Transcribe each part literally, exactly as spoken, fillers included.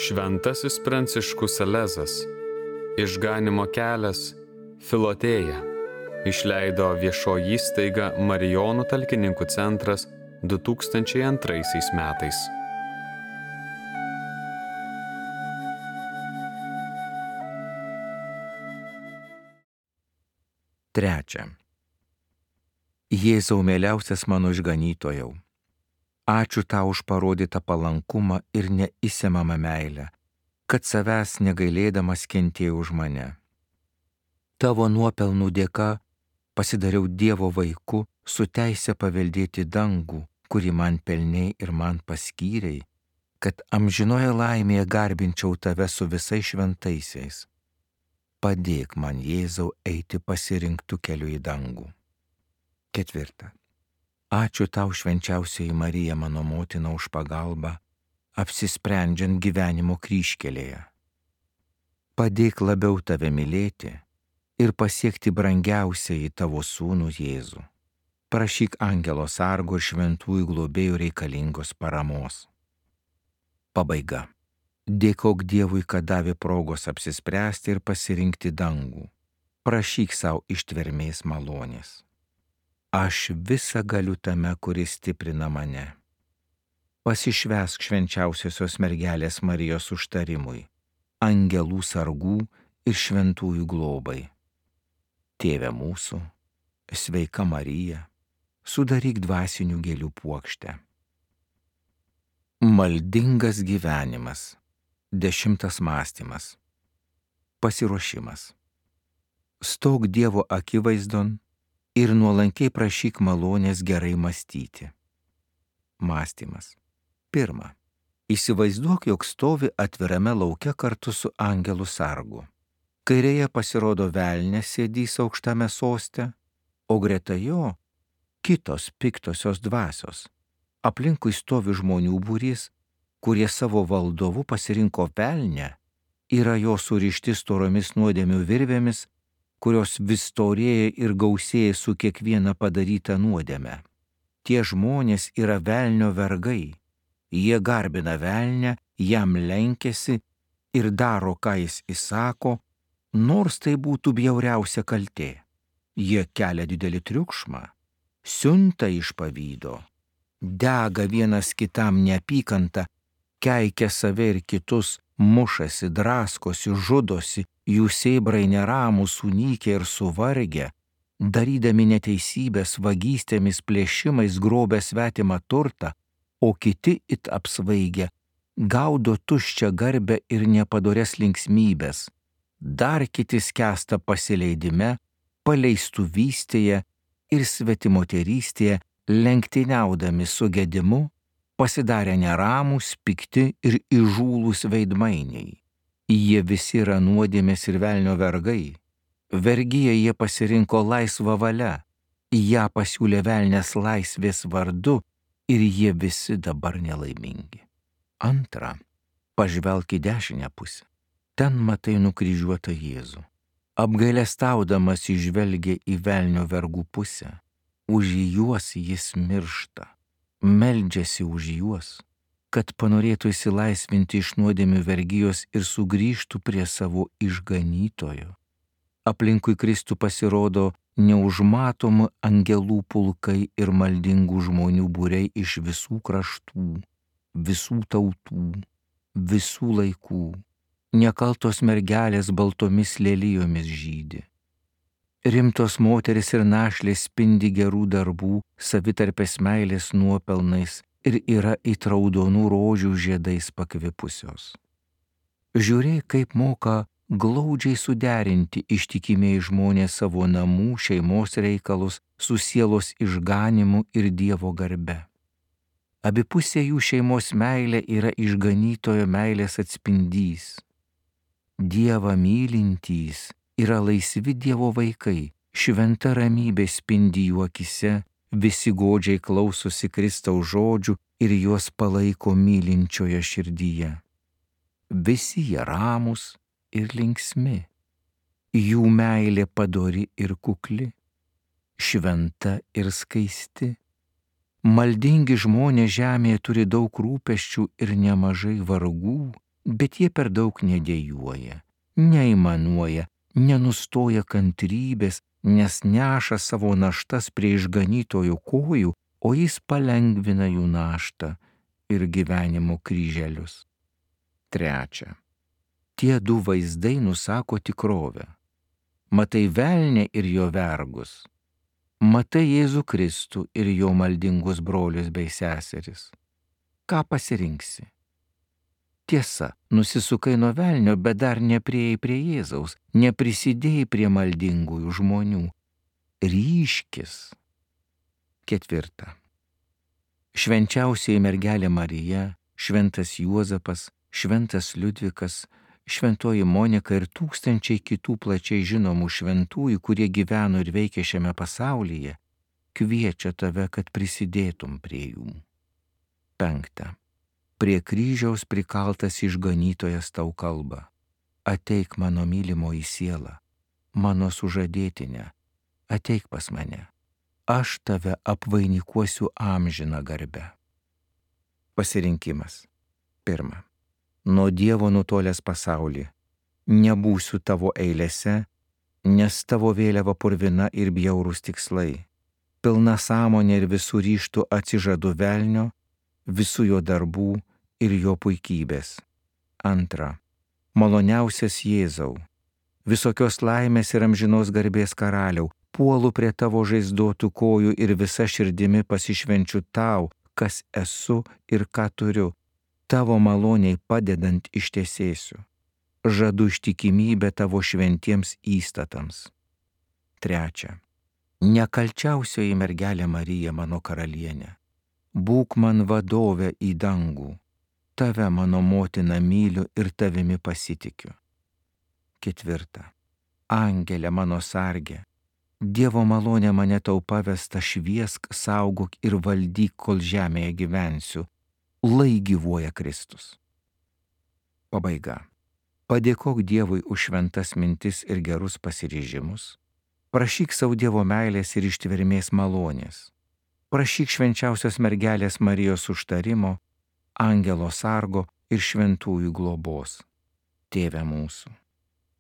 Šventasis Pranciškus Salezas, Išganymo kelias, Filotėja, išleido viešoji įstaiga Marijonų talkininkų centras du tūkstančiai antraisiais metais. Trečia. Jėzau mieliausias mano išganytojau, ačiū tau už parodytą palankumą ir neįsemamą meilę, kad savęs negailėdamas kentėjai už mane. Tavo nuopelnų dėka pasidariau Dievo vaiku su teise paveldėti dangų, kurį man pelnei ir man paskyrei, kad amžinoje laimėje garbinčiau tave su visais šventaisiais. Padėk man, Jėzau, eiti pasirinktų keliu į dangų. Ketvirta. Ačiū tau, švenčiausioji Marija, mano motina, už pagalbą, apsisprendžiant gyvenimo kryžkelėje. Padėk labiau tave mylėti ir pasiekti brangiausiai tavo sūnų Jėzų. Prašyk angelo sargo ir šventųjų globėjų reikalingos paramos. Pabaiga. Dėkok Dievui, kad davė progos apsispręsti ir pasirinkti dangų. Prašyk savo ištvermės malonės. Aš visa galiu tame, kuris stiprina mane. Pasišvęsk švenčiausiosios mergelės Marijos užtarimui, angelų sargų ir šventųjų globai. Tėve mūsų, sveika Marija, sudaryk dvasinių gėlių puokštę. Maldingas gyvenimas. Dešimtas mąstymas. Pasiruošimas. Stok Dievo akivaizdon ir nuolankiai prašyk malonės gerai mąstyti. Mąstymas. Pirma. Įsivaizduok, jog stovi atvirame lauke kartu su angelų sargu. Kairėje pasirodo velnias sėdys aukštame soste, o greta jo kitos piktosios dvasios. Aplinkui stovi žmonių būrys, kurie savo valdovu pasirinko velnę, yra jo surišti storomis nuodėmių virvėmis, kurios vis storėja ir gausėja su kiekviena padaryta nuodėme. Tie žmonės yra velnio vergai, jie garbina velnę, jam lenkiasi ir daro, ką jis įsako, nors tai būtų bjauriausia kaltė. Jie kelia didelį triukšmą, siunta iš pavydo, dega vienas kitam neapykantą, keikia save ir kitus, mušasi, draskosi, žudosi, jų sėbrai neramūs, sunykę ir suvargę, darydami neteisybės, vagystėmis, plėšimais grobia svetimą turtą, o kiti it apsvaigę, gaudo tuščią garbę ir nepadorias linksmybės, dar kiti skęsta pasileidime, paleistuvystėje ir svetimoterystėje, lenktyniaudami su gedimu, pasidarę neramūs, pikti ir įžūlūs veidmainiai. Jie visi yra nuodėmės ir velnio vergai. Vergyje jie pasirinko laisvą valią, ją pasiūlė velnias laisvės vardu ir jie visi dabar nelaimingi. Antra, pažvelk į dešinę pusę. Ten matai nukryžiuotą Jėzų. Apgailestaudamas įžvelgia į velnio vergų pusę. Už juos jis miršta. Meldžiasi už juos, kad panorėtų išsilaisvinti iš nuodėmių vergijos ir sugrįžtų prie savo išganytojo. Aplinkui Kristų pasirodo neužmatomi angelų pulkai ir maldingų žmonių būriai iš visų kraštų, visų tautų, visų laikų. Nekaltos mergelės baltomis lelijomis žydi. Rimtos moteris ir našlės spindi gerų darbų, savitarpės meilės nuopelnais ir yra it raudonų rožių žiedais pakvipusios. Žiūrėk, kaip moka glaudžiai suderinti ištikimiai žmonės savo namų, šeimos reikalus su sielos išganimu ir Dievo garbe. Abipusė jų šeimos meilė yra išganytojo meilės atspindys. Dievą mylintys yra laisvi Dievo vaikai, šventa ramybė spindi jų akise, visi godžiai klausosi Kristaus žodžių ir juos palaiko mylinčioje širdyje. Visi jie ramūs ir linksmi, jų meilė padori ir kukli, šventa ir skaisti. Maldingi žmonės žemėje turi daug rūpesčių ir nemažai vargų, bet jie per daug nedėjuoja, neaimanuoja, nenustoja kantrybės, nes neša savo naštas prie išganytojo kojų, o jis palengvina jų naštą ir gyvenimo kryželius. Trečia. Tie du vaizdai nusako tikrovę. Matai velnę ir jo vergus. Matai Jėzų Kristų ir jo maldingus brolius bei seseris. Ką pasirinksi? Tiesa, nusisukai nuo velnio, bet dar nepriejai prie Jėzaus, neprisidėjai prie maldingųjų žmonių. Ryškis. Ketvirta. Švenčiausioji mergelė Marija, šventas Juozapas, šventas Liudvikas, šventoji Monika ir tūkstančiai kitų plačiai žinomų šventųjų, kurie gyveno ir veikė šiame pasaulyje, kviečia tave, kad prisidėtum prie jų. Penkta. Prie kryžiaus prikaltas išganytojas tau kalba: ateik mano mylimoji siela, mano sužadėtinė, ateik pas mane, aš tave apvainikuosiu amžiną garbę. Pasirinkimas. Pirma. Nuo Dievo nutolęs pasaulį, nebūsiu tavo eilėse, nes tavo vėliava purvina ir bjaurūs tikslai, pilna sąmonė ir visų ryžtų atsižadu velnio, visų jo darbų ir jo puikybės. Antra. Maloniausias Jėzau, visokios laimės ir amžinos garbės karaliau, puolu prie tavo žaizdotų kojų ir visa širdimi pasišvenčiu tau, kas esu ir ką turiu, tavo maloniai padedant ištesėsiu. Žadu ištikimybę tavo šventiems įstatams. Trečia. Nekalčiausioji mergelė Marija, mano karalienė, būk man vadovė į dangų, tave mano motina myliu ir tavimi pasitikiu. Ketvirta. Angelė mano sargė, Dievo malonė mane tau pavesta, šviesk, saugok ir valdyk, kol žemėje gyvensiu, lai gyvuoja Kristus. Pabaiga. Padėkok Dievui už šventas mintis ir gerus pasiryžimus. Prašyk savo Dievo meilės ir ištvermės malonės. Prašyk švenčiausios mergelės Marijos užtarimo, angelo sargo ir šventųjų globos. Tėve mūsų,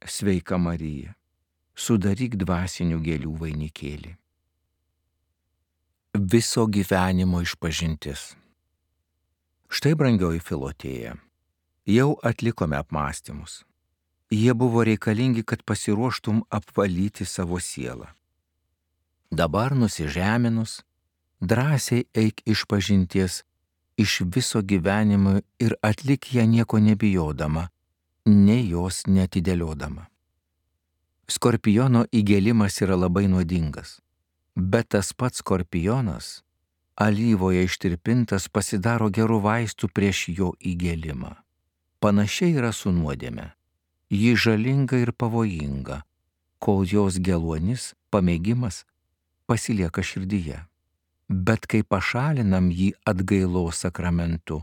sveika Marija, sudaryk dvasinių gėlių vainikėlį. Viso gyvenimo išpažintis. Štai, brangioji Filotėja, jau atlikome apmąstymus. Jie buvo reikalingi, kad pasiruoštum apvalyti savo sielą. Dabar nusižeminus, drąsiai eik išpažinties iš viso gyvenimo ir atlik ją nieko nebijodama, nei jos neatidėliodama. Skorpiono įgėlimas yra labai nuodingas, bet tas pats skorpionas, alyvoje ištirpintas, pasidaro gerų vaistų prieš jo įgėlimą. Panašiai yra su nuodėme. Ji žalinga ir pavojinga, kol jos geluonis, pamėgimas, pasilieka širdyje. Bet kai pašalinam jį atgailos sakramentu,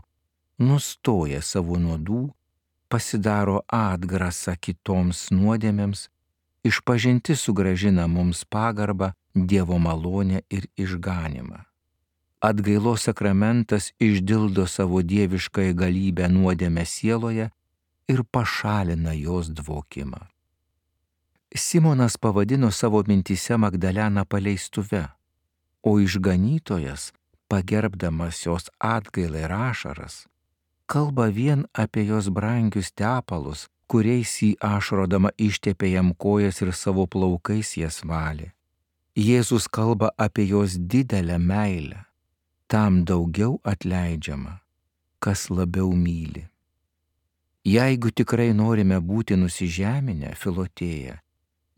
nustoja savo nuodų, pasidaro atgrasą kitoms nuodėmėms, išpažintis sugrąžina mums pagarbą, Dievo malonę ir išganimą. Atgailos sakramentas išdildo savo dieviškąją galybę nuodėmę sieloje ir pašalina jos dvokimą. Simonas pavadino savo mintyse Magdaleną paleistuve, o išganytojas, pagerbdamas jos atgailą ir ašaras, kalba vien apie jos brangius tepalus, kuriais jį ašrodama ištepė jam kojas ir savo plaukais jas valė. Jėzus kalba apie jos didelę meilę, tam daugiau atleidžiama, kas labiau myli. Jeigu tikrai norime būti nusižeminę, Filotėja,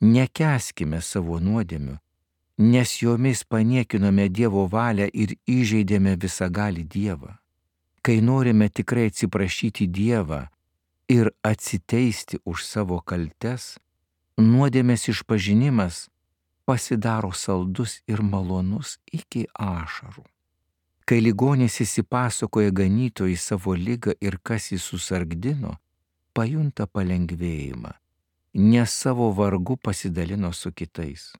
nekęskime savo nuodėmių, nes jomis paniekinome Dievo valią ir įžeidėme visagalį Dievą. Kai norime tikrai atsiprašyti Dievą ir atsiteisti už savo kaltes, nuodėmės išpažinimas pasidaro saldus ir malonus iki ašarų. Kai ligonis įsipasakoja ganytojui savo ligą ir kas jį susargdino, pajunta palengvėjimą, nes savo vargu pasidalino su kitais.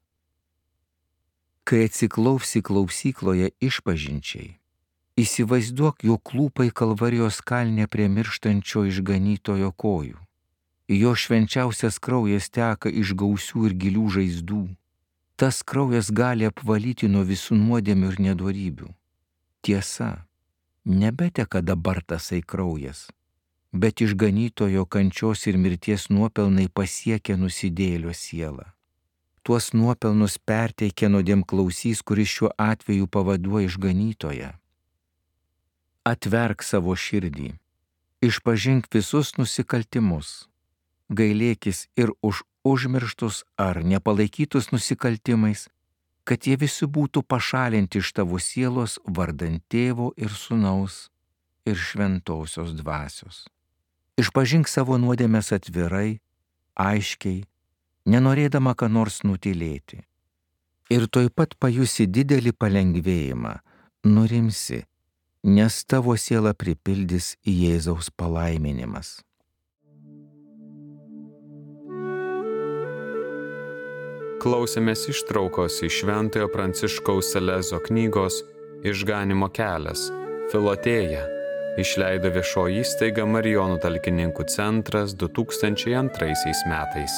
Kai atsiklausi klausykloje išpažinčiai, Įsivaizduok jo klūpai Kalvarijos kalne prie mirštančio išganytojo kojų. Jo švenčiausias kraujas teka iš gausių ir gilių žaizdų. Tas kraujas gali apvalyti nuo visų nuodėmių ir nedorybių. Tiesa, nebeteka dabar tasai kraujas, bet išganytojo kančios ir mirties nuopelnai pasiekia nusidėjėlio sielą. Tuos nuopelnus perteikia nuodėmklausys, kuris šiuo atveju pavaduoja išganytoją. Atverk savo širdį, išpažink visus nusikaltimus, gailėkis ir už užmirštus ar nepalaikytus nusikaltimais, kad jie visi būtų pašalinti iš tavo sielos vardan Tėvo ir Sūnaus ir Šventosios Dvasios. Išpažink savo nuodėmes atvirai, aiškiai, nenorėdama ką nors nutylėti. Ir tuoj pat pajusi didelį palengvėjimą, nurimsi, nes tavo sielą pripildys Jėzaus palaiminimas. Klausėmės ištraukos iš Šventojo Pranciškaus Salezo knygos Išganymo kelias – Filotėja. Išleido viešoji įstaiga Marijonų talkininkų centras du tūkstančiai antraisiais metais.